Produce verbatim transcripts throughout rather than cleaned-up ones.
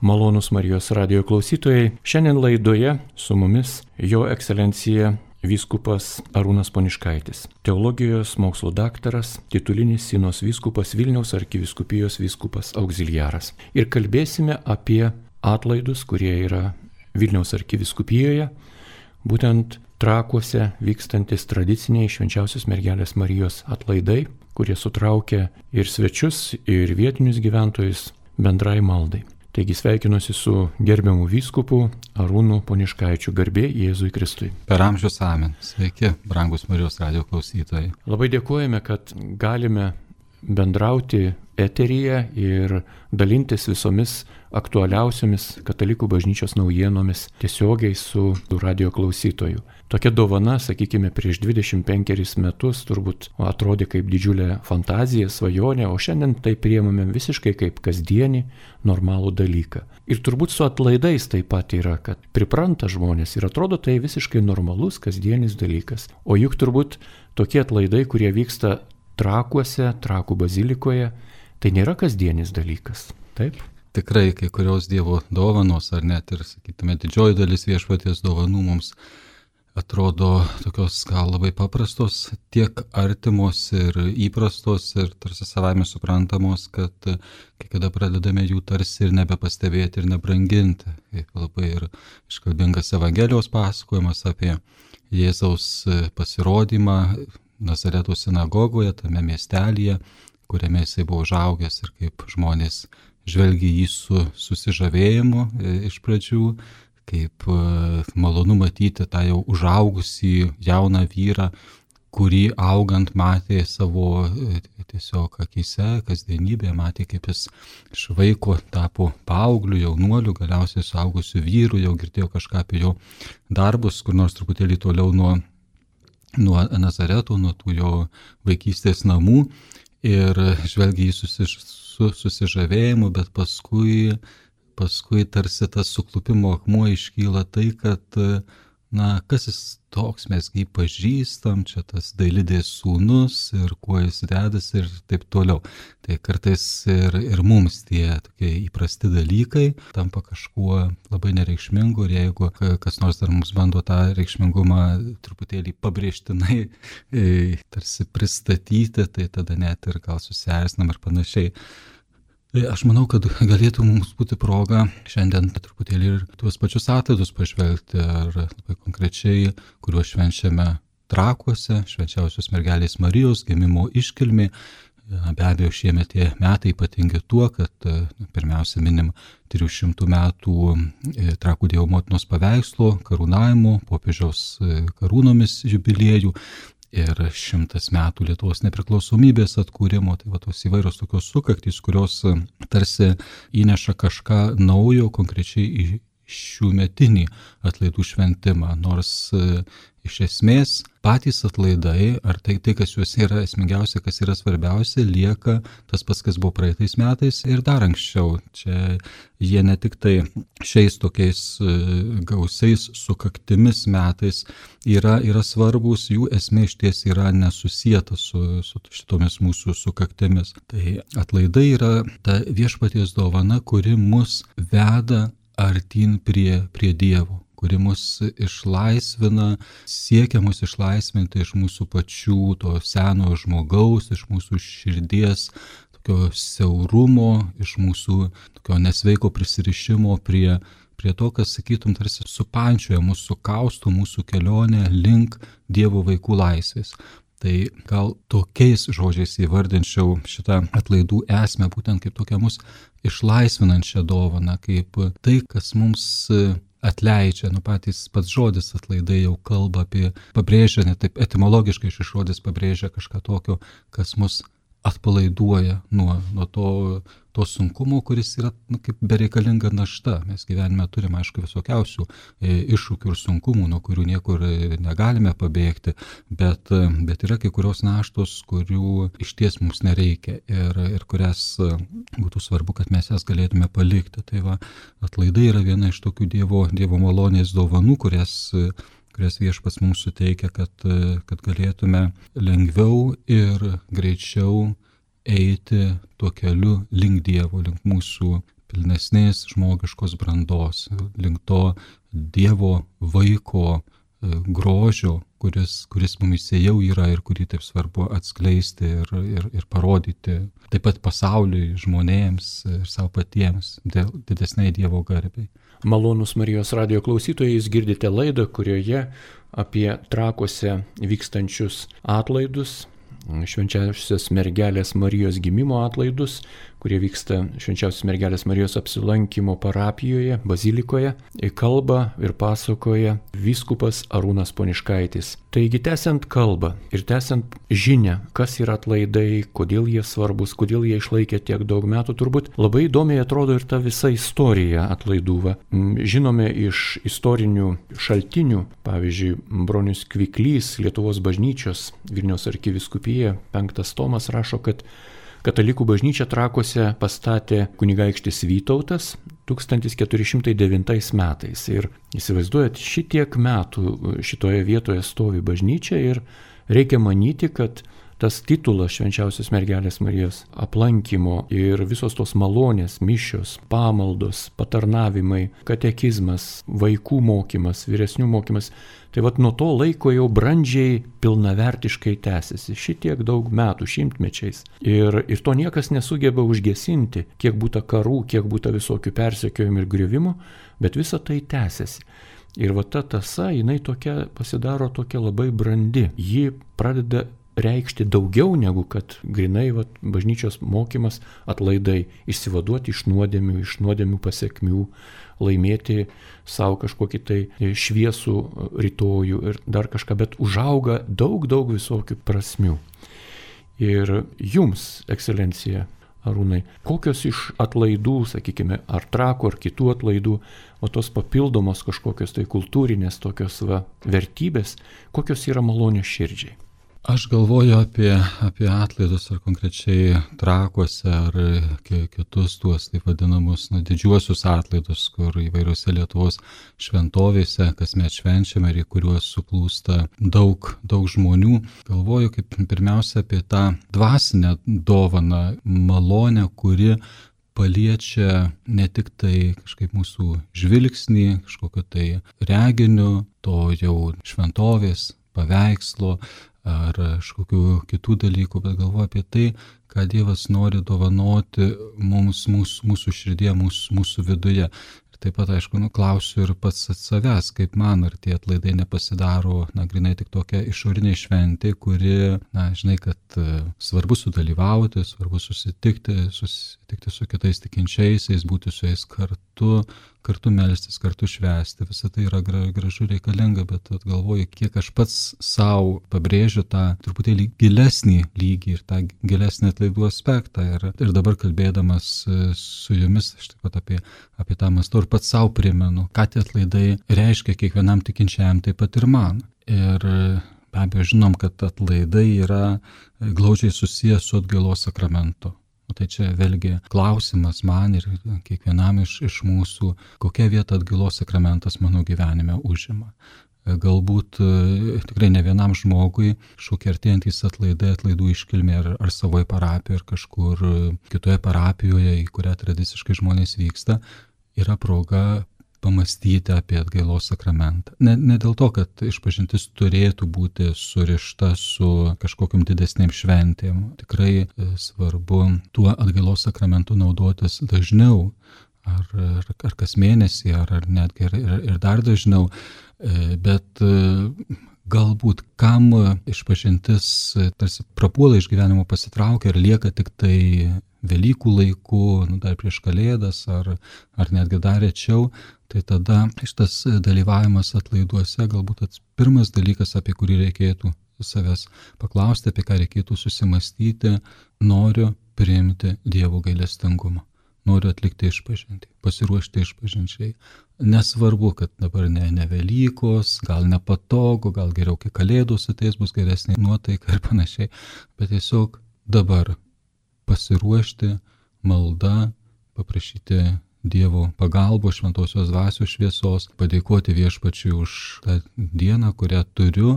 Malonūs Marijos radijo klausytojai, šiandien laidoje su mumis Jo ekscelencija vyskupas Arūnas Poniškaitis, teologijos mokslo daktaras, titulinis Sinos vyskupas, Vilniaus arkivyskupijos vyskupas auxiliaras. Ir kalbėsime apie atlaidus, kurie yra Vilniaus arkivyskupijoje, būtent Trakuose vykstantis tradiciniai Švenčiausios Mergelės Marijos atlaidai, kurie sutraukia ir svečius, ir vietinius gyventojus bendrai maldai. Taigi sveikinuosi su gerbiamu vyskupu Arūnu Poniškaičiu, garbė Jėzui Kristui. Per amžius amen. Sveiki, brangus Marijos radijo klausytojai. Labai dėkojame, kad galime bendrauti eteryje ir dalintis visomis aktualiausiomis katalikų bažnyčios naujienomis tiesiogiai su radijo klausytoju. Tokia dovana, sakykime, prieš dvidešimt penkerius metus turbūt atrodė kaip didžiulė fantazija, svajonė, o šiandien tai priimame visiškai kaip kasdienį, normalų dalyką. Ir turbūt su atlaidais taip pat yra, kad pripranta žmonės ir atrodo tai visiškai normalus, kasdienis dalykas. O juk turbūt tokie atlaidai, kurie vyksta Trakuose, Trakų bazilikoje, tai nėra kasdienis dalykas, taip? Tikrai kai kurios Dievo dovanos, ar net ir, sakytume, didžioji dalis viešpaties dovanų mums atrodo tokios gal labai paprastos, tiek artimos ir įprastos ir tarsi savaime suprantamos, kad kai kada pradedame jų tarsi ir nebepastebėti ir nebranginti. Kaip labai ir iškalbingas Evangelijos pasakojimas apie Jėzaus pasirodymą Nazareto sinagogoje, tame miestelyje, kuriame jisai buvo užaugęs ir kaip žmonės žvelgia jį su susižavėjimu iš pradžių, kaip malonu matyti tą jau užaugusį jauną vyrą, kurį augant matė savo tiesiog akyse, kasdienybėje, matė kaip jis iš vaiko tapo paaugliu, jaunuoliu, galiausiai suaugusiu vyru, jau girdėjo kažką apie jo darbus, kur nors truputėlį toliau nuo nuo Nazareto, nuo tų jo vaikystės namų ir žvelgia jį susiž, su susižavėjimu, bet paskui, paskui tarsi tas suklupimo akmuo iškyla tai, kad, na, kas jis toks, mes jį pažįstam, čia tas dailidės sūnus ir kuo jis dedas ir taip toliau. Tai kartais ir, ir mums tie tokie įprasti dalykai tampa kažkuo labai nereikšmingu ir jeigu kas nors dar mums bando tą reikšmingumą truputėlį pabrėžtinai e, tarsi pristatyti, tai tada net ir gal susierzinam ir panašiai. Aš manau, kad galėtų mums būti proga šiandien truputėlį ir tuos pačius atlaidus pažvelgti, ar labai konkrečiai, kuriuos švenčiame Trakuose, Švenčiausios Mergelės Marijos gimimo iškilmė. Be abejo, šiemet tie metai ypatingi tuo, kad pirmiausia minim trijų šimtų metų Trakų Dievo motinos paveikslo karūnavimo, popiežiaus karūnomis jubiliejų. Ir šimtas metų Lietuvos nepriklausomybės atkūrimo, tai va tos įvairios tokios sukaktys, kurios tarsi įneša kažką naujo konkrečiai į šių metinį atlaidų šventimą, nors e, iš esmės patys atlaidai, ar tai, tai kas juose yra esmingiausia, kas yra svarbiausia, lieka tas pats, kas buvo praeitais metais ir dar anksčiau. Čia jie ne tik tai šiais tokiais e, gausiais sukaktimis metais yra, yra svarbus, jų esmė išties yra nesusieta su, su šitomis mūsų sukaktimis. Tai atlaidai yra ta viešpaties dovana, kuri mus veda artyn prie, prie Dievo, kuri mus išlaisvina, siekia mus išlaisvinti iš mūsų pačių to senojo žmogaus, iš mūsų širdies tokio siaurumo, iš mūsų tokio nesveiko prisirišimo prie, prie to, kas, sakytum, tarsi supančioja mūsų, sukausto mūsų kelionę link Dievo vaikų laisvės. Tai gal tokiais žodžiais įvardinčiau šitą atlaidų esmę, būtent kaip tokią mus išlaisvinančią dovaną, kaip tai, kas mums atleidžia. Nu, patys pats žodis atlaidai jau kalba apie, pabrėžia, net taip etimologiškai šis žodis pabrėžia kažką tokio, kas mus atpalaiduoja nuo, nuo to, to sunkumo, kuris yra, nu, kaip bereikalinga našta. Mes gyvenime turime, aišku, visokiausių e, iššūkių ir sunkumų, nuo kurių niekur negalime pabėgti, bet, bet yra kai kurios naštos, kurių išties mums nereikia ir, ir kurias būtų svarbu, kad mes jas galėtume palikti. Tai va, atlaidai yra viena iš tokių Dievo, dievo malonės dovanų, kurias kurias viešpats mums suteikia, kad, kad galėtume lengviau ir greičiau eiti tuo keliu link Dievo, link mūsų pilnesnės žmogiškos brandos, link to Dievo vaiko grožio, kuris, kuris mumise jau yra ir kurį taip svarbu atskleisti ir, ir, ir parodyti taip pat pasauliui, žmonėms ir savo patiems, dėl didesniai Dievo garbei. Malonūs Marijos radijo klausytojai, jūs girdite laidą, kurioje apie Trakuose vykstančius atlaidus, švenčiausios mergelės Marijos gimimo atlaidus, kurie vyksta švenčiausios mergelės Marijos apsilankimo parapijoje, bazilikoje, kalba ir pasakoja vyskupas Arūnas Poniškaitis. Taigi tęsiant kalbą ir tęsiant žinią, kas yra atlaidai, kodėl jie svarbus, kodėl jie išlaikė tiek daug metų, turbūt labai įdomiai atrodo ir ta visa istorija atlaidų. Žinome iš istorinių šaltinių, pavyzdžiui, Bronius Kviklys, Lietuvos bažnyčios, Vilniaus arkivyskupija, penktas tomas rašo, kad Katalikų bažnyčią Trakuose pastatė kunigaikštis Vytautas tūkstantis keturi šimtai devintais metais. Ir įsivaizduojat, šitiek metų šitoje vietoje stovi bažnyčia ir reikia manyti, kad tas titulas švenčiausios mergelės Marijos aplankymo ir visos tos malonės, mišios, pamaldos, patarnavimai, katekizmas, vaikų mokymas, vyresnių mokymas, tai vat nuo to laiko jau brandžiai pilnavertiškai tęsiasi šitiek daug metų, šimtmečiais. Ir, ir to niekas nesugeba užgesinti, kiek būta karų, kiek būta visokių persekiojimų ir griuvimų, bet visa tai tęsiasi. Ir va ta tąsa, jinai tokia pasidaro tokia labai brandi. Ji pradeda reikšti daugiau negu kad grinai vat, bažnyčios mokymas, atlaidai, išsivaduoti iš nuodėmių, iš nuodėmių pasiekmių, laimėti savo kažkokį tai šviesų rytojų ir dar kažką, bet užauga daug, daug visokių prasmių. Ir jums, ekscelencija Arūnai, kokios iš atlaidų, sakykime, ar Trakų, ar kitų atlaidų, o tos papildomos kažkokios tai kultūrinės tokios va, vertybės, kokios yra malonios širdžiai? Aš galvoju apie, apie atlaidus, ar konkrečiai Trakuose, ar kitus tuos taip vadinamus na, didžiuosius atlaidus, kur įvairiose Lietuvos šventovėse kasmet švenčiame ir į kuriuos suplūsta daug, daug žmonių. Galvoju kaip pirmiausia apie tą dvasinę dovaną, malonę, kuri paliečia ne tik tai kažkaip mūsų žvilgsnį, kažkokio tai reginių, to jau šventovės, paveikslo, ar kažkokių kitų dalykų, bet galvoju apie tai, ką Dievas nori dovanoti mums, mūsų, mūsų širdie, mūsų, mūsų viduje. Ir taip pat, aišku, nu, klausiu ir pats savęs, kaip man, ar tie atlaidai nepasidaro, na, grinai tik tokia išorinė šventė, kuri, na, žinai, kad svarbu sudalyvauti, svarbu susitikti, susitikti su kitais tikinčiaisiais, būti su jais kartu, kartu melstis, kartu švęsti. Visą tai yra gražu reikalinga, bet galvoju, kiek aš pats savo pabrėžiu tą truputėlį gilesnį lygį ir tą gilesnį atlaidų aspektą. Ir, ir dabar kalbėdamas su jumis, aš taip pat apie, apie tą mąstau ir pats savo primenu, ką tie atlaidai reiškia kiekvienam tikinčiajam, taip pat ir man. Ir be abejo žinom, kad atlaidai yra glaudžiai susijęs su atgailos sakramentu. O tai čia vėlgi klausimas man ir kiekvienam iš, iš mūsų, kokia vieta atgailos sakramentas mano gyvenime užima. Galbūt tikrai ne vienam žmogui šokie artėjantys atlaidai, atlaidų iškilmė ar, ar savoje parapijoje, ar kažkur kitoje parapijoje, į kurią tradiciškai žmonės vyksta, yra proga pamastyti apie atgailos sakramentą. Ne, ne dėl to, kad išpažintis turėtų būti surišta su kažkokiam didesnėm šventėm. Tikrai svarbu tuo atgailos sakramentu naudotis dažniau, ar, ar, ar kas mėnesį, ar, ar netgi ir, ir dar dažniau. Bet galbūt kam išpažintis tarsi prapuola iš gyvenimo, pasitraukia ir lieka tik tai Velykų laiku, nu, dar prieš Kalėdas ar, ar netgi dar rečiau, tai tada šitas dalyvavimas atlaiduose galbūt tas pirmas dalykas, apie kurį reikėtų savęs paklausti, apie ką reikėtų susimastyti, noriu priimti Dievo gailestingumą, noriu atlikti išpažintį, pasiruošti išpažinčiai. Nesvarbu, kad dabar ne, ne Velykos, gal nepatogu, gal geriau, kai Kalėdos ateis, bus geresnė nuotaika ir panašiai, bet tiesiog dabar pasiruošti malda, paprašyti Dievo pagalbos, šventosios dvasios šviesos, padėkoti Viešpačiui už tą dieną, kurią turiu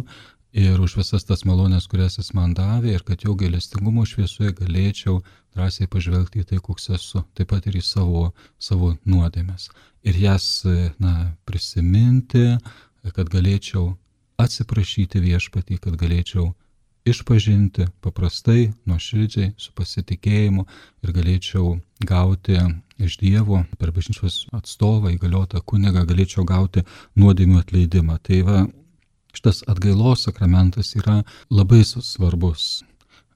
ir už visas tas malonės, kurias jis man davė, ir kad jo gailestingumo šviesoje galėčiau drąsiai pažvelgti į tai, koks esu, taip pat ir į savo, savo nuodėmes. Ir jas, na, prisiminti, kad galėčiau atsiprašyti viešpatį, kad galėčiau išpažinti paprastai, nuoširdžiai, su pasitikėjimu ir galėčiau gauti iš Dievo per bažnyčios atstovą, įgaliotą kunigą, galėčiau gauti nuodėmių atleidimą. Tai va, šitas atgailos sakramentas yra labai svarbus.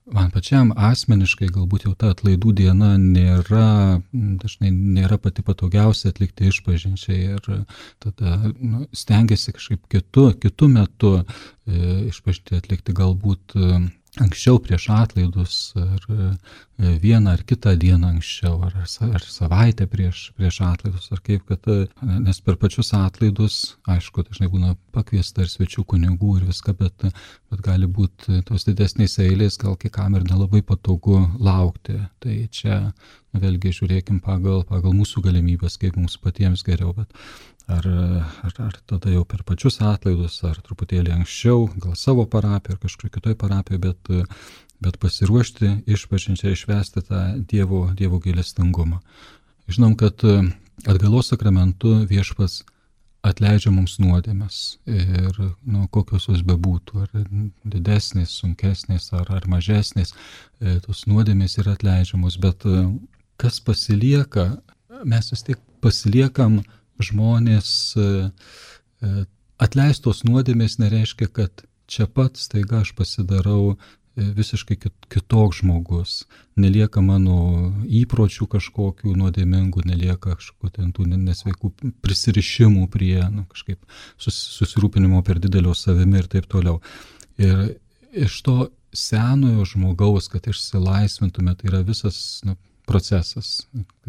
Man pačiam asmeniškai galbūt jau ta atlaidų diena nėra, dažnai nėra pati patogiausia atlikti išpažinčiai ir tada nu, stengiasi kažkaip kitu, kitu metu e, išpažinti atlikti galbūt e, anksčiau prieš atlaidus ar e, vieną ar kitą dieną anksčiau ar, ar savaitę prieš, prieš atlaidus ar kaip, kad, nes per pačius atlaidus, aišku, dažnai būna pakviesta ir svečių kunigų ir viską, bet, bet gali būti tos didesnės eilės, gal kai kam ir nelabai patogu laukti. Tai čia vėlgi žiūrėkim pagal, pagal mūsų galimybės, kaip mums patiems geriau, bet ar, ar, ar tada jau per pačius atlaidus, ar truputėlį anksčiau, gal savo parapiją ar kažkur kitoj parapiją, bet, bet pasiruošti išpažinčiai išvesti tą Dievo, Dievo gailestingumą. Žinom, kad atgailos sakramentu viešpats atleidžia mums nuodėmes ir nu, kokios jos bebūtų, ar didesnės, sunkesnės, ar, ar mažesnės, tos nuodėmės yra atleidžiamos, bet kas pasilieka, mes vis tiek pasiliekam žmonės, atleistos nuodėmės nereiškia, kad čia pat staiga aš pasidarau visiškai kitoks žmogus, nelieka mano įpročių kažkokių nuodėmingų, nelieka kažkokių tų nesveikų prisirišimų prie nu, kažkaip susirūpinimo per didelio savimi ir taip toliau. Ir iš to senojo žmogaus, kad išsilaisvintume, tai yra visas nu, procesas,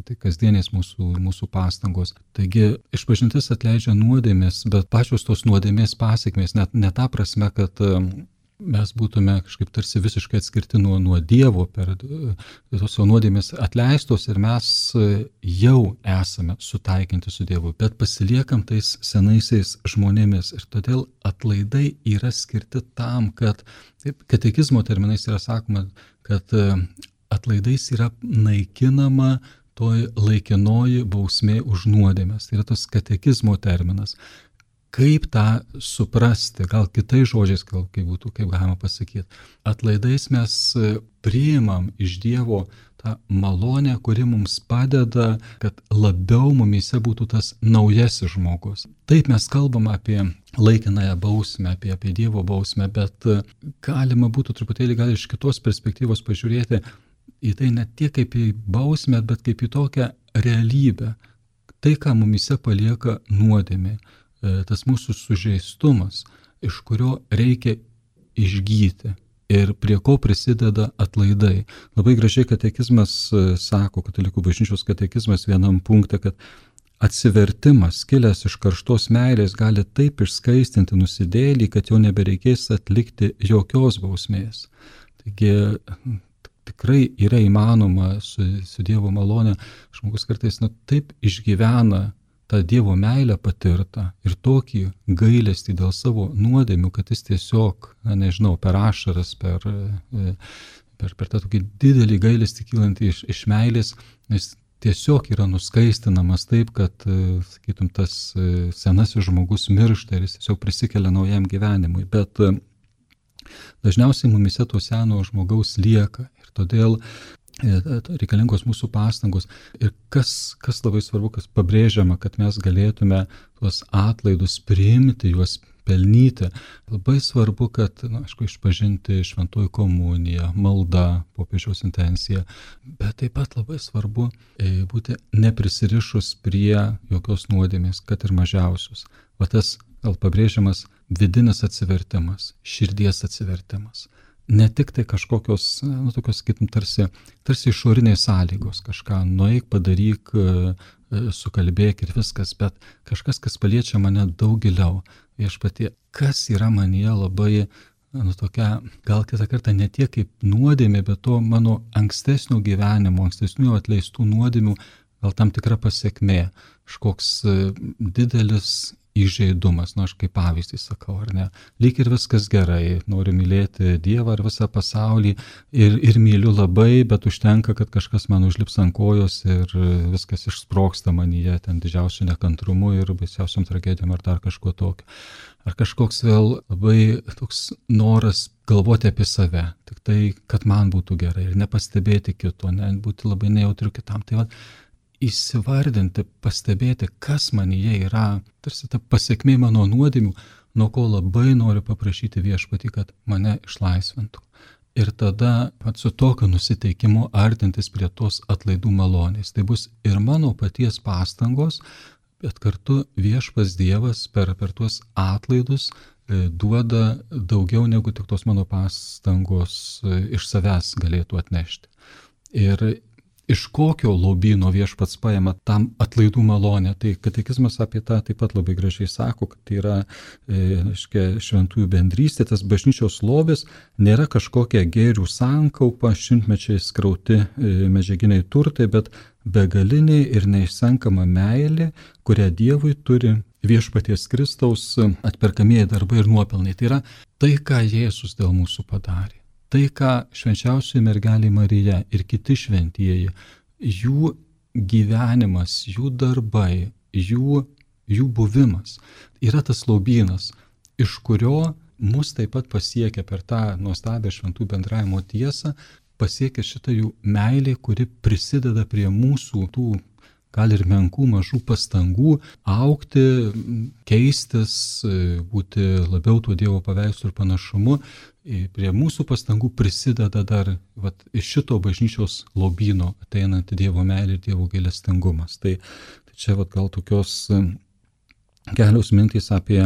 tai kasdienės mūsų, mūsų pastangos. Taigi išpažintis atleidžia nuodėmės, bet pačios tos nuodėmės pasekmės, net ne ta prasme, kad mes būtume kažkaip tarsi visiškai atskirti nuo, nuo Dievo, per tos nuodėmės atleistos ir mes jau esame sutaikinti su Dievu, bet pasiliekam tais senaisiais žmonėmis ir todėl atlaidai yra skirti tam, kad taip, katekizmo terminais yra sakoma, kad atlaidais yra naikinama toj laikinoji bausmė už nuodėmes. Tai yra tas katekizmo terminas. Kaip tą suprasti, gal kitais žodžiais, gal kaip būtų, kaip galima pasakyti. Atlaidais mes priimam iš Dievo tą malonę, kuri mums padeda, kad labiau mumyse būtų tas naujasis žmogus. Taip mes kalbam apie laikinąją bausmę, apie, apie Dievo bausmę, bet galima būtų truputėlį gal iš kitos perspektyvos pažiūrėti į tai ne tiek kaip į bausmę, bet kaip į tokią realybę. Tai, ką mumyse palieka nuodėmė, tas mūsų sužeistumas, iš kurio reikia išgyti ir prie ko prisideda atlaidai. Labai gražiai katekizmas sako, katalikų bažnyčios katekizmas vienam punkte, kad atsivertimas, kilęs iš karštos meilės, gali taip išskaistinti nusidėlį, kad jau nebereikės atlikti jokios bausmės. Taigi tikrai yra įmanoma su, su Dievo malone, žmogus kartais nu, taip išgyvena tą Dievo meilę patirtą ir tokį gailestį dėl savo nuodėmių, kad jis tiesiog, na, nežinau, per ašaras, per, per, per tą tokį didelį gailestį kylantį iš, iš meilės, jis tiesiog yra nuskaistinamas taip, kad, sakytum, tas senasis žmogus miršta ir jis tiesiog prisikelia naujam gyvenimui. Bet dažniausiai mumise to seno žmogaus lieka ir todėl reikalingos mūsų pastangos. Ir kas, kas labai svarbu, kas pabrėžiama, kad mes galėtume tuos atlaidus priimti, juos pelnyti. Labai svarbu, kad, na, aišku, išpažinti šventoji komunija, malda, popiežiaus intencija, bet taip pat labai svarbu būti neprisirišus prie jokios nuodėmės, kad ir mažiausius. O tas, gal pabrėžiamas, vidinis atsivertimas, širdies atsivertimas. Ne tik tai kažkokios, nu, tokios, kaip tarsi, tarsi išoriniai sąlygos, kažką nueik, padaryk, sukalbėk ir viskas, bet kažkas, kas paliečia mane daug giliau. Viešpatie, kas yra manyje labai, nu, tokia, gal kitą kartą ne tiek kaip nuodėmė, bet to mano ankstesnio gyvenimo, ankstesnių atleistų nuodėmių, gal tam tikra pasiekmė, kažkoks didelis įžeidumas, nu aš kaip pavyzdį sakau, ar ne, lyg ir viskas gerai, noriu mylėti Dievą ir visą pasaulį ir, ir myliu labai, bet užtenka, kad kažkas man užlips ant kojos ir viskas išsprogsta manyje, ten didžiausiu nekantrumu ir baisiausiam tragedijom ar dar kažkuo tokiu. Ar kažkoks vėl labai toks noras galvoti apie save, tik tai, kad man būtų gerai ir nepastebėti kito, ne, būti labai nejautriu kitam. Tai va, įsivardinti, pastebėti, kas manyje yra, tarsi ta pasiekmė mano nuodėmių, nuo ko labai noriu paprašyti Viešpatį, kad mane išlaisvintų. Ir tada pat su tokiu nusiteikimu artintis prie tos atlaidų malonės. Tai bus ir mano paties pastangos, bet kartu Viešpats Dievas per, per tuos atlaidus e, duoda daugiau negu tik tos mano pastangos e, iš savęs galėtų atnešti. Ir iš kokio lobyno Viešpats paima tam atlaidų malonę. Tai katekizmas apie tą taip pat labai gražiai sako, kad tai yra e, aiškia, šventųjų bendrystė, tas bažnyčios lobis nėra kažkokia gėrių sankaupa, šimtmečiais krauti e, medžiaginiai turtai, bet begalinė ir neišsenkama meilė, kurią Dievui turi Viešpaties Kristaus atperkamieji darbai ir nuopelnai. Tai yra tai, ką Jėzus dėl mūsų padarė. Tai, ką švenčiausioji mergelė Marija ir kiti šventieji, jų gyvenimas, jų darbai, jų, jų buvimas yra tas lobynas, iš kurio mus taip pat pasiekia per tą nuostabią šventų bendravimo tiesą, pasiekia šitą jų meilė, kuri prisideda prie mūsų tų gal ir menkų, mažų pastangų augti, keistis, būti labiau tuo Dievo paveikslu ir panašumu. Prie mūsų pastangų prisideda dar vat, iš šito bažnyčios lobyno ateinanti Dievo meilė ir Dievo gailestingumas. Tai, tai čia vat, gal tokios kelios mintys apie,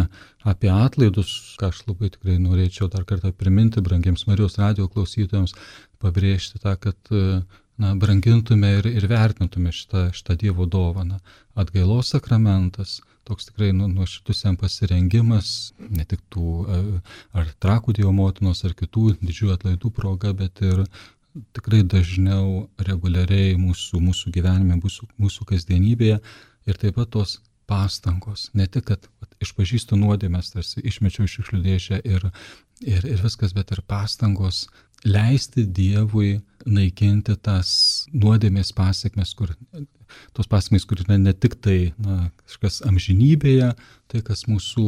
apie atlaidus, ką aš labai tikrai norėčiau dar kartą priminti brangiems Marijos radijo klausytojams, pabrėžti tą, kad na, brangintume ir, ir vertintume šitą, šitą Dievo dovaną. Atgailos sakramentas, toks tikrai nu, nuoširdus jam pasirengimas, ne tik tų ar Trakų Dievo motinos, ar kitų didžiųjų atlaidų proga, bet ir tikrai dažniau, reguliariai mūsų, mūsų gyvenime, mūsų, mūsų kasdienybėje ir taip pat tos pastangos. Ne tik, kad vat, išpažįstu nuodėmes, tarsi išmečiau iš šiukšlių dėžę ir, ir, ir viskas, bet ir pastangos leisti Dievui naikinti tas nuodėmės pasiekmes, kur, tos pasiekmes, kur ne, ne tik tai na, kažkas amžinybėje, tai kas mūsų,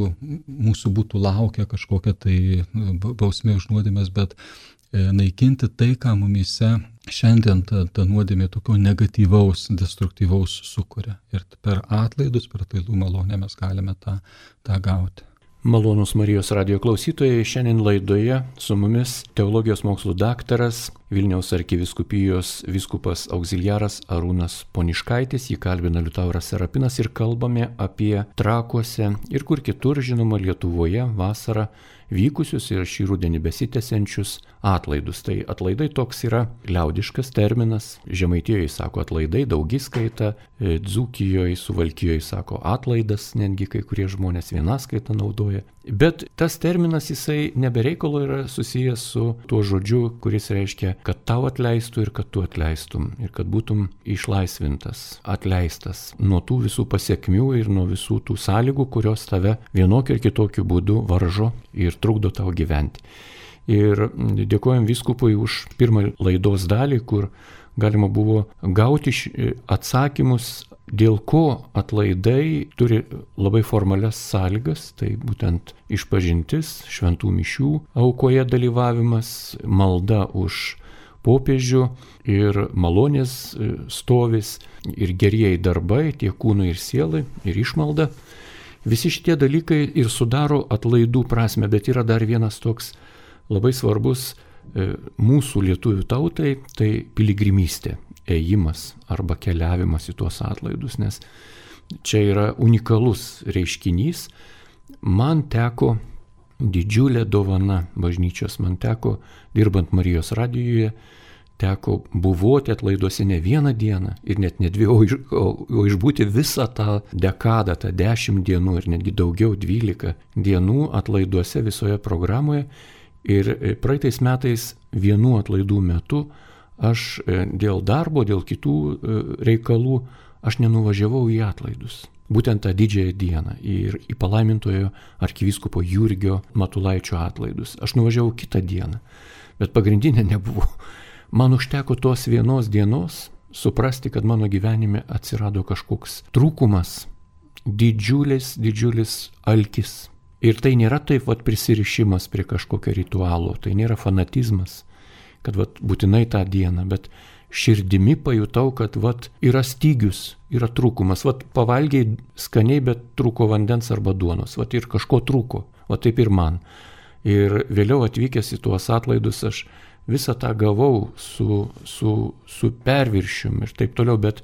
mūsų būtų laukia kažkokia tai bausmė už nuodėmes, bet e, naikinti tai, ką mumyse šiandien ta, ta nuodėmė tokio negatyvaus, destruktyvaus sukuria. Ir per atlaidus, per atlaidų malonę mes galime tą, tą gauti. Malonūs Marijos radijo klausytojai, šiandien laidoje su mumis teologijos mokslų daktaras, Vilniaus arkivyskupijos vyskupas auxiliaras Arūnas Poniškaitis, jį kalbina Liutauras Serapinas ir kalbame apie Trakuose ir kur kitur, žinoma, Lietuvoje vasarą vykusius ir šį rudenį besitęsiančius atlaidus. Tai atlaidai toks yra liaudiškas terminas, Žemaitijoje sako atlaidai, daugiskaita, Dzūkijoje, Suvalkijoje sako atlaidas, netgi kai kurie žmonės vienaskaitą naudoja. Bet tas terminas jisai nebereikalo yra susijęs su tuo žodžiu, kuris reiškia, kad tau atleistų ir kad tu atleistum, ir kad būtum išlaisvintas, atleistas nuo tų visų pasiekmių ir nuo visų tų sąlygų, kurios tave vienokiu ir kitokiu būdu varžo ir trukdo tau gyventi. Ir dėkojam vyskupui už pirmą laidos dalį, kur galima buvo gauti atsakymus, dėl ko atlaidai turi labai formalias sąlygas, tai būtent išpažintis, šventų mišių aukoje dalyvavimas, malda už popiežių ir malonės stovis ir gerieji darbai, tiek kūnui ir sielai, ir išmalda. Visi šitie dalykai ir sudaro atlaidų prasme, bet yra dar vienas toks labai svarbus mūsų lietuvių tautai, tai piligrimystė, ėjimas arba keliavimas į tuos atlaidus, nes čia yra unikalus reiškinys. Man teko didžiulė dovana bažnyčios, man teko, dirbant Marijos radijoje, teko buvoti atlaiduose ne vieną dieną ir net ne dvi, o, iš, o, o išbūti visą tą dekadą, tą dešimt dienų ir netgi daugiau, dvylika dienų atlaiduose visoje programoje. Ir praeitais metais vienų atlaidų metu aš dėl darbo, dėl kitų reikalų, aš nenuvažiavau į atlaidus. būtent tą didžiąją dieną ir į palaimintojo arkivyskupo Jurgio Matulaičio atlaidus. Aš nuvažiavau kitą dieną, bet pagrindinė nebuvo. Man užteko tos vienos dienos suprasti, kad mano gyvenime atsirado kažkoks trūkumas, didžiulis, didžiulis alkis. Ir tai nėra taip vat prisirišimas prie kažkokio ritualo, tai nėra fanatizmas, kad vat būtinai tą dieną, bet širdimi pajutau, kad vat yra stygius, yra trūkumas. Vat pavalgiai skaniai, bet trūko vandens arba duonos, vat ir kažko trūko, vat taip ir man. Ir vėliau atvykęs į tuos atlaidus aš visą tą gavau su, su, su perviršium ir taip toliau, bet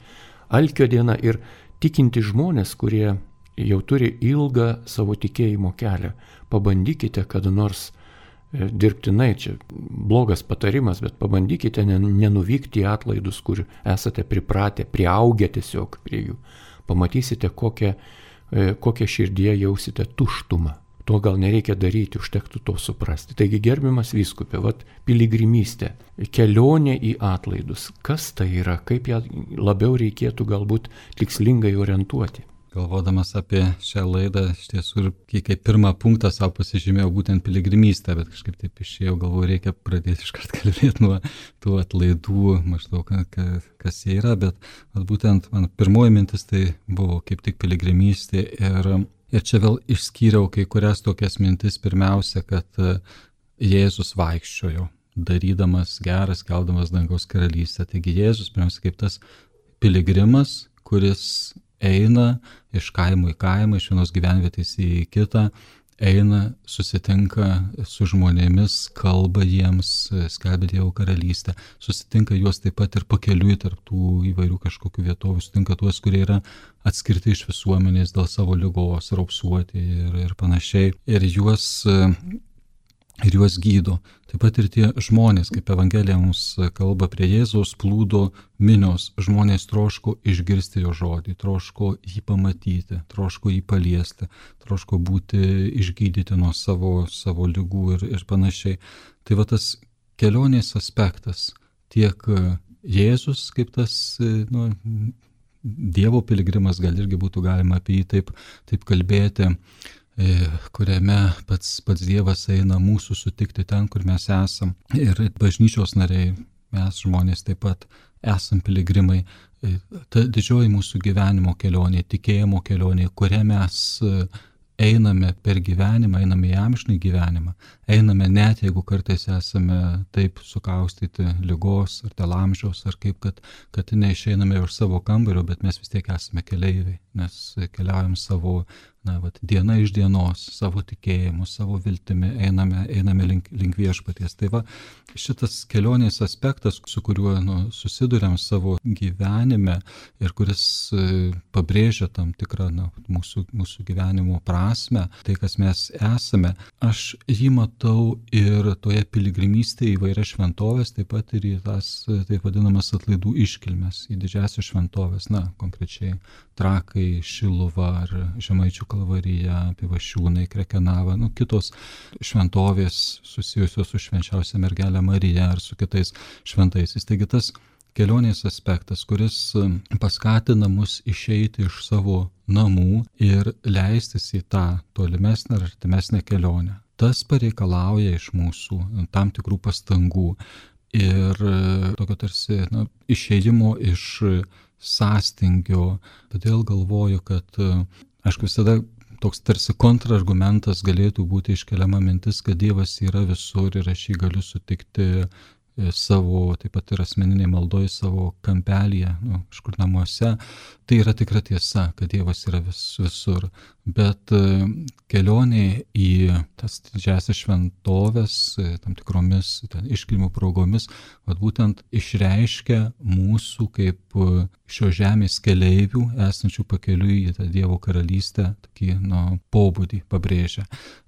alkio diena ir tikinti žmonės, kurie jau turi ilgą savo tikėjimo kelią. Pabandykite kada nors e, dirbtinai, čia blogas patarimas, bet pabandykite nenuvykti į atlaidus, kur esate pripratę, priaugę tiesiog prie jų. Pamatysite, kokią, e, kokią širdyje jausite tuštumą. To gal nereikia daryti, užtektų to suprasti. Taigi gerbiamas vyskupė, vat piligrimystė, kelionė į atlaidus. Kas tai yra, kaip ją labiau reikėtų galbūt tikslingai orientuoti? Galvodamas apie šią laidą, iš tiesų ir kaip pirmą punktą savo pasižymėjau būtent piligrimystę, bet kažkaip taip išėjau, galvoju, reikia pradėti iškart kalbėti nuo tų atlaidų, maždaug kas jie yra, bet būtent man pirmoji mintis tai buvo kaip tik piligrimystė ir, ir čia vėl išskyriau kai kurias tokias mintis, pirmiausia, kad Jėzus vaikščiojo, darydamas geras, keldamas dangaus karalystę. Taigi Jėzus pirmiausia kaip tas piligrimas, kuris eina iš kaimo į kaimą, iš vienos gyvenvietės į kitą, eina, susitinka su žmonėmis, kalba jiems, skelbia Dievo karalystę, susitinka juos taip pat ir pakeliui tarp tų įvairių kažkokių vietovių, susitinka tuos, kurie yra atskirti iš visuomenės dėl savo ligos, raupsuoti ir, ir panašiai, ir juos ir juos gydo. Taip pat ir tie žmonės, kaip Evangelija mums kalba, prie Jėzaus plūdo minios, žmonės troško išgirsti jo žodį, troško jį pamatyti, troško jį paliesti, troško būti išgydyti nuo savo, savo ligų ir, ir panašiai. Tai va tas kelionės aspektas, tiek Jėzus kaip tas nu, Dievo piligrimas, gal irgi būtų galima apie jį taip, taip kalbėti, kuriame pats, pats Dievas eina mūsų sutikti ten, kur mes esam. Ir bažnyčios nariai, mes žmonės taip pat esam piligrimai. Ta didžioji mūsų gyvenimo kelionė, tikėjimo kelionė, kuria mes einame per gyvenimą, einame į amžinį gyvenimą. Einame net, jeigu kartais esame taip sukaustyti ligos ar dėl amžiaus, ar kaip, kad, kad neišeiname iš savo kambario, bet mes vis tiek esame keleiviai, nes keliaujam savo na, vat, diena iš dienos, savo tikėjimu, savo viltimi, einame, einame link, link viešpaties. Tai va, šitas kelionės aspektas, su kuriuo nu, susiduriam savo gyvenime ir kuris e, pabrėžia tam tikrą na, mūsų, mūsų gyvenimo prasme, tai kas mes esame, aš jį matau ir toje piligrimystėje į vairias šventovės, taip pat ir į tas taip vadinamas atlaidų iškilmes, į didžiasias šventovės, na, konkrečiai Trakai, Šiluva ar Žemaičių Kalvarija, Pivašiūnai, Krekenava, nu, kitos šventovės susijusios su švenčiausia mergelė Marija ar su kitais šventaisiais. Taigi tas kelionės aspektas, kuris paskatina mus išeiti iš savo namų ir leistis į tą tolimesnę ar artimesnę kelionę. Tas pareikalauja iš mūsų tam tikrų pastangų ir tokio tarsi na, išėjimo iš sąstingio. Todėl galvoju, kad aišku visada toks tarsi kontrargumentas galėtų būti iškeliama mintis, kad Dievas yra visur ir aš jį galiu sutikti savo, taip pat ir asmeniniai maldoje, savo kampelyje, nu, kažkur namuose. Tai yra tikra tiesa, kad Dievas yra vis, visur. Bet kelionė į tas didžiasias šventovės, tam tikromis ten, iškilmių progomis, vat būtent išreiškia mūsų kaip šio žemės keleivių, esančių pakeliui į tą Dievo karalystę, tokį nu, pobūdį pabrėžia.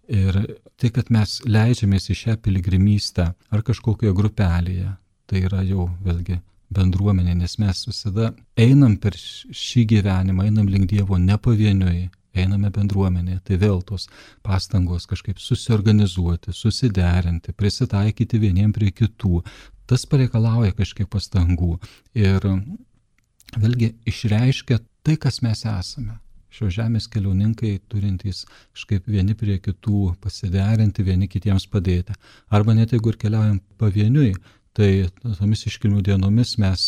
Ir tai, kad mes leidžiamės į šią piligrimystę ar kažkokioje grupelėje, tai yra jau vėlgi bendruomenė, nes mes visada einam per šį gyvenimą, einam link Dievo ne pavieniui, einame bendruomenėje. Tai vėl tos pastangos kažkaip susiorganizuoti, susiderinti, prisitaikyti vieniem prie kitų. Tas pareikalauja kažkiek pastangų ir vėlgi išreiškia tai, kas mes esame. šios žemės keliauninkai turintys kažkaip vieni prie kitų pasiderinti, vieni kitiems padėti. Arba net jeigu ir keliaujam pavieniui, tai tomis iškilmių dienomis mes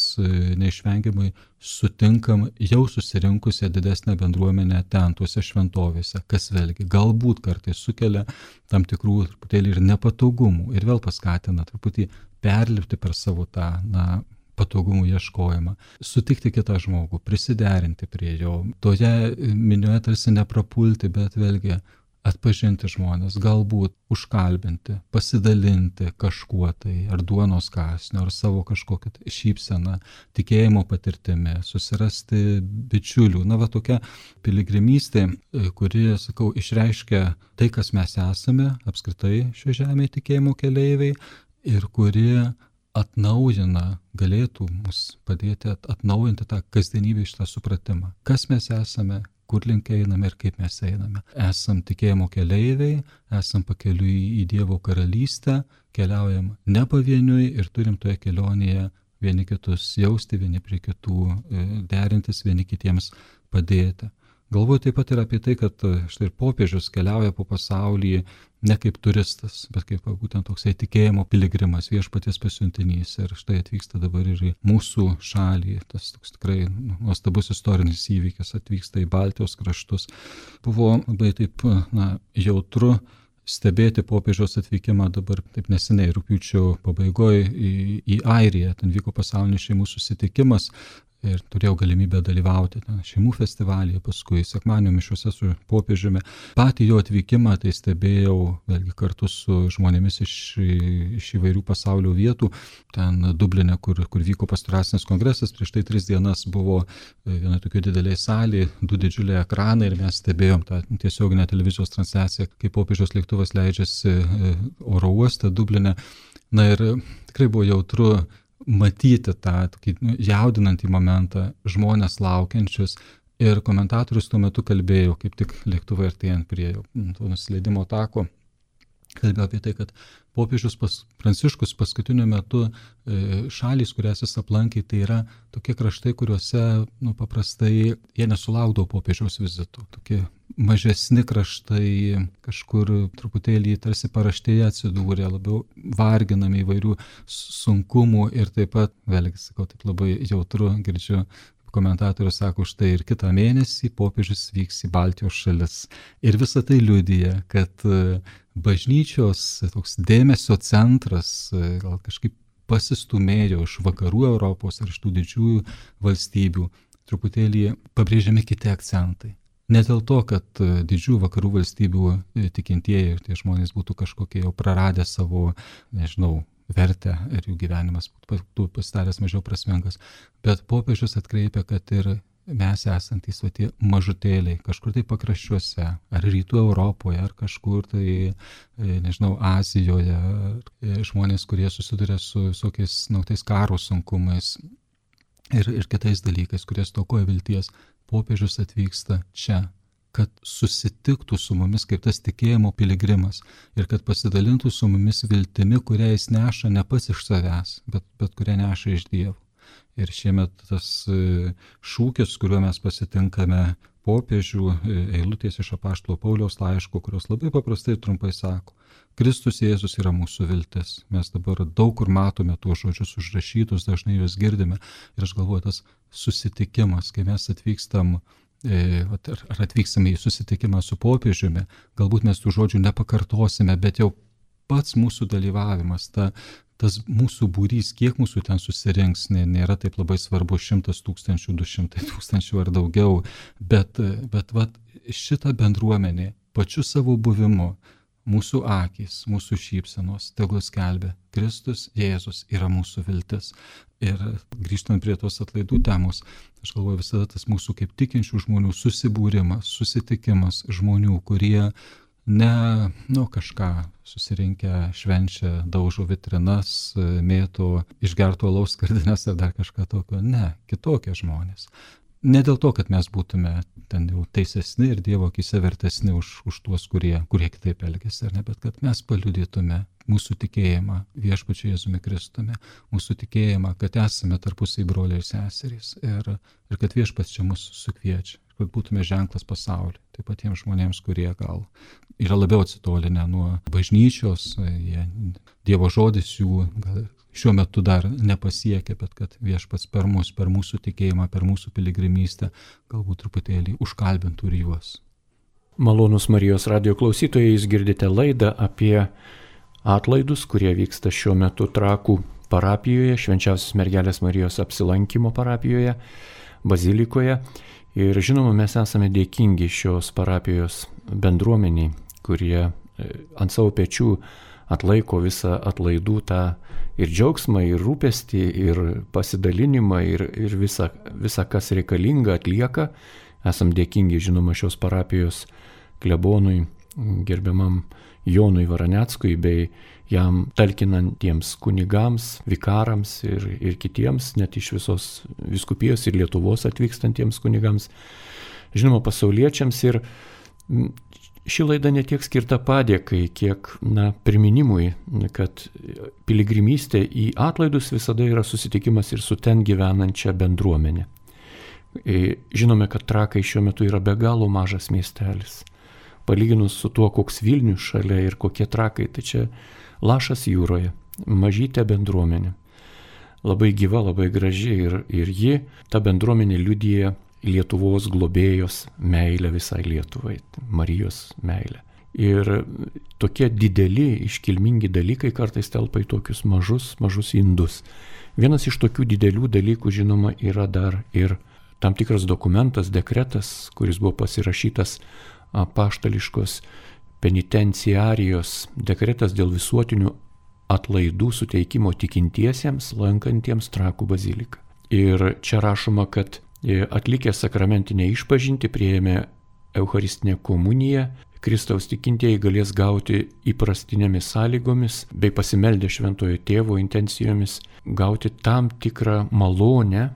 neišvengiamai sutinkam jau susirinkusią didesnę bendruomenę ten, tuose šventovėse, kas vėlgi galbūt kartais sukelia tam tikrų truputėlį ir nepatogumų ir vėl paskatina truputį perlipti per savo tą, na, patogumų ieškojimą, sutikti kitą žmogų, prisiderinti prie jo, toje minioje tarsi neprapulti, bet vėlgi atpažinti žmonės, galbūt užkalbinti, pasidalinti kažkuo tai, ar duonos kąsniu, ar savo kažkokią šypseną, tikėjimo patirtimi, susirasti bičiulių. Na, va tokia piligrimystė, kuri, sakau, išreiškia tai, kas mes esame, apskritai šio žemėje tikėjimo keleiviai, ir kuri atnaujina, galėtų mus padėti atnaujinti tą kasdienybę, šitą supratimą. Kas mes esame, kur link einame ir kaip mes einame. Esam tikėjimo keleiviai, esam pakeliui į Dievo karalystę, keliaujam ne pavieniui ir turim toje kelionėje vieni kitus jausti, vieni prie kitų derintis, vieni kitiems padėti. Galvoju taip pat ir apie tai, kad štai ir popiežius keliauja po pasaulį ne kaip turistas, bet kaip būtent toksai tikėjimo piligrimas, viešpaties pasiuntinys. Ir štai atvyksta dabar ir į mūsų šalį, tas toks tikrai nuostabus istorinis įvykis, atvyksta į Baltijos kraštus. Buvo labai taip, na, jautru stebėti popiežiaus atvykimą dabar taip neseniai, rugpjūčio pabaigoje į, į Airiją. Ten vyko pasaulinis šeimų susitikimas. Ir turėjau galimybę dalyvauti ten, šeimų festivalyje, paskui sekmadienio mišiuose su popiežiumi. Patį jo atvykimą tai stebėjau vėlgi kartu su žmonėmis iš, iš įvairių pasaulio vietų. Ten Dubline, kur, kur vyko pastoracinis kongresas, prieš tai tris dienas buvo viena tokia didelė salė, du didžiuliai ekranai ir mes stebėjom tą tiesioginę televizijos transliaciją, kai popiežiaus lėktuvas leidžiasi oro uoste Dubline. Na ir tikrai buvo jautru matyti tą tokį jaudinantį momentą, žmonės laukiančius, ir komentatorius tuo metu kalbėjo, kaip tik lėktuvai artėjant prie to nusileidimo tako, kalbėjo apie tai, kad popiežius pas, Pranciškus paskutiniu metu e, šalys, kurias jis aplankė, tai yra tokie kraštai, kuriuose nu, paprastai jie nesulaukdavo popiežiaus vizitų. Tokie mažesni kraštai, kažkur truputėlį tarsi paraštėje atsidūrė, labiau varginami įvairių sunkumų ir taip pat, vėlgi sakau, taip labai jautru girdžiu, komentatorius sako, štai ir kitą mėnesį popiežius vyks į Baltijos šalis. Ir visa tai liudija, kad bažnyčios toks dėmesio centras gal kažkaip pasistumėjo iš vakarų Europos ir iš tų didžiųjų valstybių, truputėlį pabrėžiami kiti akcentai. Ne dėl to, kad didžiųjų vakarų valstybių tikintieji ir tie žmonės būtų kažkokie jau praradę savo, nežinau, vertę ir jų gyvenimas būtų pasidaręs mažiau prasmingas. Bet popiežius atkreipia, kad ir mes esantys va, tie mažutėliai, kažkur tai pakraščiuose, ar rytų Europoje, ar kažkur tai, nežinau, Azijoje, žmonės, kurie susiduria su visokiais nautais karo sunkumais ir, ir kitais dalykais, kurie stokoja vilties, popiežius atvyksta čia, kad susitiktų su mumis kaip tas tikėjimo piligrimas ir kad pasidalintų su mumis viltimi, kurią jis neša ne pats iš savęs, bet, bet kurią neša iš Dievo. Ir šiemet tas šūkis, kuriuo mes pasitinkame popiežių, eilutės iš apaštalo Pauliaus laiško, kurios labai paprastai ir trumpai sako, Kristus Jėzus yra mūsų viltis. Mes dabar daug kur matome tuos žodžius užrašytus, dažnai juos girdime. Ir aš galvoju, tas susitikimas, kai mes atvykstam ar atvyksime į susitikimą su popiežiumi, galbūt mes tų žodžių nepakartosime, bet jau pats mūsų dalyvavimas, ta, tas mūsų būrys, kiek mūsų ten susirinks, nėra taip labai svarbu, šimtas tūkstančių, du šimtai tūkstančių ar daugiau, bet, bet vat, šita bendruomenė pačiu savo buvimu, mūsų akys, mūsų šypsenos, tegul skelbia, Kristus Jėzus yra mūsų viltis. Ir grįžtant prie tos atlaidų temos, aš galvoju visada tas mūsų kaip tikinčių žmonių susibūrimas, susitikimas žmonių, kurie ne, nu, kažką susirinkę, švenčia, daužo vitrinas, mėto išgerto alaus skardines ar dar kažką tokio. Ne, kitokie žmonės. Ne dėl to, kad mes būtume ten jau teisesni ir Dievo akyse vertesni už, už tuos, kurie, kurie kitaip elgiasi, ar ne, bet kad mes paliudytume mūsų tikėjimą viešpačiu Jėzumi Kristumi, mūsų tikėjimą, kad esame tarpusai broliai ir seserys ir, ir kad viešpats čia mus sukviečia. kad būtume ženklas pasauliui. Taip pat tiems žmonėms, kurie gal yra labiau atsitolinę nuo bažnyčios, jie, Dievo žodis jų gal šiuo metu dar nepasiekia, bet kad Viešpats per mus, per mūsų tikėjimą, per mūsų piligrimystę galbūt truputėlį užkalbintų ir juos. Malonūs Marijos radijo klausytojai, jūs girdite laidą apie atlaidus, kurie vyksta šiuo metu Trakų parapijoje, Švenčiausios Mergelės Marijos apsilankimo parapijoje, bazilikoje. Ir žinoma, mes esame dėkingi šios parapijos bendruomeniai, kurie ant savo pečių atlaiko visą atlaidų tą ir džiaugsmą, ir rūpestį, ir pasidalinimą, ir, ir visą, visą, kas reikalinga, atlieka. Esam dėkingi, žinoma, šios parapijos klebonui, gerbiamam Jonui Varaneckui, bei jam talkinantiems kunigams, vikarams ir, ir kitiems, net iš visos vyskupijos ir Lietuvos atvykstantiems kunigams, žinoma, pasauliečiams. Ir ši laida ne tiek skirta padėkai, kiek na, priminimui, kad piligrimystė į atlaidus visada yra susitikimas ir su ten gyvenančia bendruomenė. Žinome, kad Trakai šiuo metu yra be galo mažas miestelis. Palyginus su tuo, koks Vilnius šalia ir kokie Trakai, tai čia lašas jūroje, mažytė bendruomenė. Labai gyva, labai graži ir, ir ji, ta bendruomenė liudija Lietuvos globėjos meilę visai Lietuvai, Marijos meilę. Ir tokie dideli, iškilmingi dalykai kartais telpa į tokius mažus, mažus indus. Vienas iš tokių didelių dalykų, žinoma, yra dar ir tam tikras dokumentas, dekretas, kuris buvo pasirašytas apaštališkos penitenciarijos, dekretas dėl visuotinių atlaidų suteikimo tikintiesiems, lankantiems Trakų baziliką. Ir čia rašoma, kad atlikę sakramentinę išpažintį, priėmę Eucharistinę komuniją, Kristaus tikintieji galės gauti įprastinėmis sąlygomis bei pasimeldę Šventojo Tėvo intencijomis gauti tam tikrą malonę,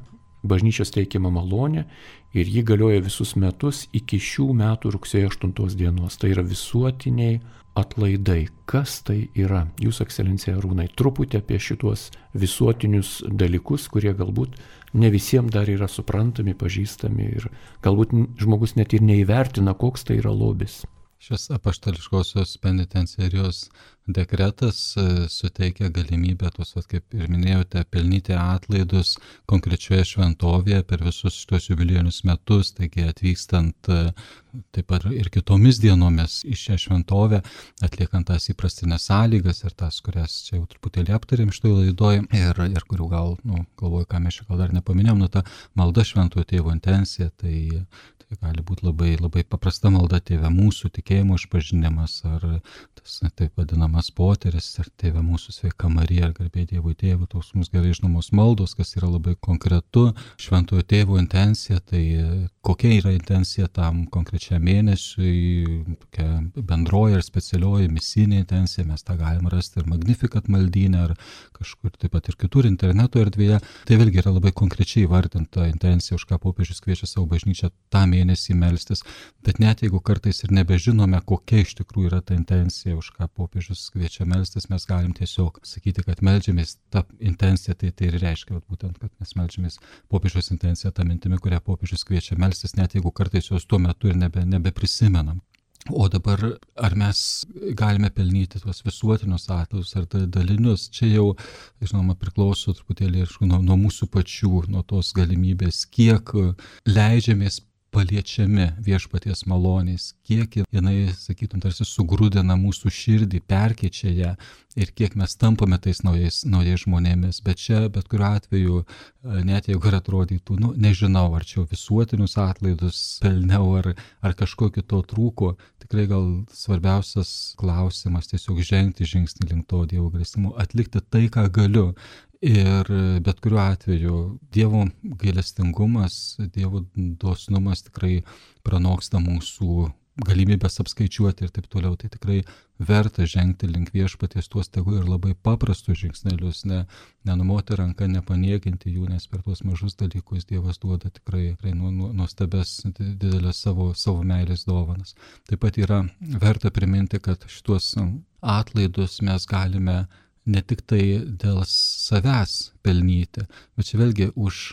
bažnyčios teikiamą malonę, ir ji galioja visus metus iki šių metų rugsėjo aštuntos dienos. Tai yra visuotiniai atlaidai. Kas tai yra? Jūsų ekscelencija Arūnai, truputį apie šitos visuotinius dalykus, kurie galbūt ne visiems dar yra suprantami, pažįstami ir galbūt žmogus net ir neįvertina, koks tai yra lobis. Šis apaštališkosios penitenciarijos dekretas suteikia galimybę, tuos, kaip ir minėjote, pelnyti atlaidus konkrečioje šventovėje per visus šitos jubiliejinius metus, taigi atvykstant taip pat ir kitomis dienomis į šią šventovę, atliekant tas įprastinės sąlygas ir tas, kurias čia jau truputėlį aptarėm šitoj laidoj ir, ir kurių gal, nu, galvoju, ką mes čia gal dar nepaminėjom, nu, ta malda Šventojo Tėvo intencija, tai Tai gali būti labai, labai paprasta malda Tėve mūsų tikėjimo išpažinimas, ar tas taip vadinamas poteris, ar Tėve mūsų sveika Marija, ar garbė Dievui Tėvui, tos mums gerai žinomos maldos, kas yra labai konkretu. Šventojo Tėvo intencija, tai kokia yra intencija tam konkrečiam mėnesiui, tokia bendroji ar specialioji misinė intencija, mes tą galim rasti ir Magnificat maldyne, ar kažkur taip pat ir kitur interneto erdvėje. Tai vėlgi yra labai konkrečiai įvardinta intencija, už ką popiežius kviečia savo bažnyčią tam mėnesį melstis, bet net jeigu kartais ir nebežinome, kokia iš tikrųjų yra ta intencija, už ką popiežius kviečia melstis, mes galim tiesiog sakyti, kad meldžiamės tą intenciją, tai tai ir reiškia, būtent, kad mes meldžiamės popiežiaus intenciją tą mintimi, kurią popiežius kviečia melstis, net jeigu kartais jos tuo metu ir nebe, nebeprisimenam. O dabar, ar mes galime pelnyti tuos visuotinius atlaidus ar dalinius, čia jau, žinoma, priklauso truputėlį nuo, nuo mūsų pačių, nuo tos galimybės, kiek leidžiamės paliečiami Viešpaties malonės, kiek jinai, sakytum, tarsi sugrūdina mūsų širdį, perkeičia ją ir kiek mes tampame tais naujais, naujais žmonėmis. Bet čia, bet kuriuo atveju, net jeigu ir atrodytų, nu, nežinau, ar čia visuotinius atlaidus pelniau, ar, ar kažko kito trūko, tikrai gal svarbiausias klausimas tiesiog žengti žingsnį link to Dievo gailestingumo, atlikti tai, ką galiu. Ir bet kuriuo atveju Dievo gailestingumas, Dievo dosnumas tikrai pranoksta mūsų galimybės apskaičiuoti ir taip toliau. Tai tikrai verta žengti link Viešpaties tuos tegu ir labai paprastus žingsnelius, ne, nenumoti ranką, nepaniekinti jų, nes per tuos mažus dalykus Dievas duoda tikrai, tikrai nuostabes didelės savo, savo meilės dovanas. Taip pat yra verta priminti, kad šituos atlaidus mes galime ne tik tai dėl savęs pelnyti. Bet čia vėlgi už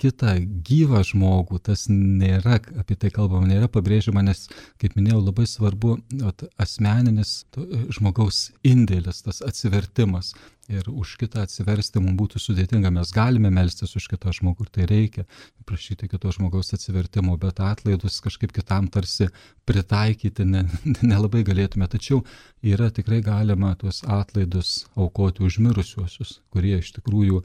kitą gyvą žmogų tas nėra, apie tai kalbama, nėra pabrėžiama, nes, kaip minėjau, labai svarbu at, asmeninis to, žmogaus indėlis, tas atsivertimas. Ir už kitą atsiversti mums būtų sudėtinga. Mes galime melstis už kitą žmogų, ir tai reikia, prašyti kito žmogaus atsivertimo, bet atlaidus kažkaip kitam tarsi pritaikyti nelabai ne, ne galėtume. Tačiau yra tikrai galima tuos atlaidus aukoti už mirusiuosius, kurie iš tikrųjų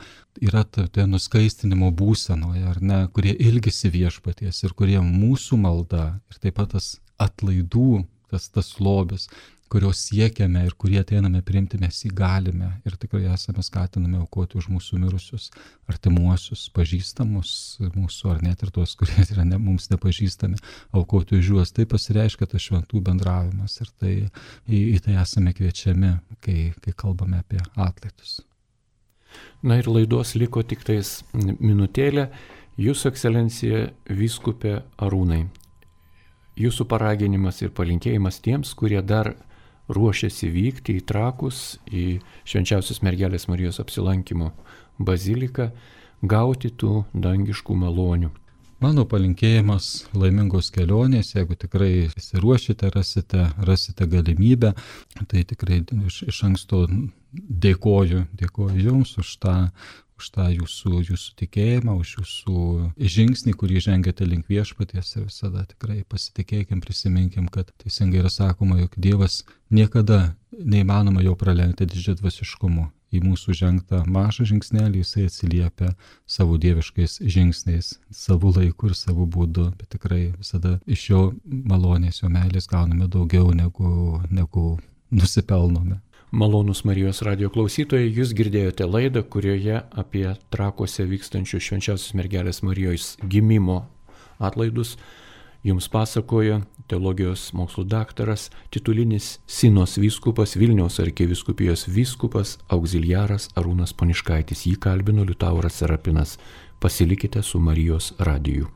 yra toje nuskaistinimo būsenoje, ar ne, kurie ilgisi viešpaties ir kurie mūsų malda ir taip pat tas atlaidų, tas, tas lobis, kurios siekiame ir kurie ateiname priimti, mes jį galime ir tikrai esame skatinami aukoti už mūsų mirusius artimuosius, pažįstamus mūsų, ar net ir tuos, kurie yra ne, mums nepažįstami, aukoti už juos. Tai pasireiškia tas šventų bendravimas ir tai, į, į tai esame kviečiami, kai, kai kalbame apie atlaidus. Na ir laidos liko tik tais minutėlė. Jūsų ekscelencija vyskupė Arūnai, jūsų paraginimas ir palinkėjimas tiems, kurie dar ruošiasi vykti į Trakus, į Švenčiausios Mergelės Marijos apsilankimo baziliką, gauti tų dangiškų malonių. Mano palinkėjimas laimingos kelionės, jeigu tikrai įsiruošite, rasite, rasite galimybę, tai tikrai iš, iš anksto dėkoju, dėkoju Jums už tą, už tą jūsų, jūsų tikėjimą, už jūsų žingsnį, kurį žengiate link viešpaties ir visada tikrai pasitikėkim, prisiminkim, kad teisingai yra sakoma, jog Dievas niekada neįmanoma jo pralenkti didžiadvasiškumu. Į mūsų žengtą mažą žingsnelį jisai atsiliepia savo dieviškais žingsniais, savo laiku ir savo būdu, bet tikrai visada iš jo malonės, jo meilės gauname daugiau negu, negu nusipelnome. Malonūs Marijos radijo klausytojai, jūs girdėjote laidą, kurioje apie Trakuose vykstančių Švenčiausios Mergelės Marijos gimimo atlaidus jums pasakoja teologijos mokslų daktaras, titulinis Sinos vyskupas, Vilniaus arkivyskupijos vyskupas, auxiliaras Arūnas Poniškaitis. Jį kalbino Liutauras Serapinas. Pasilikite su Marijos radiju.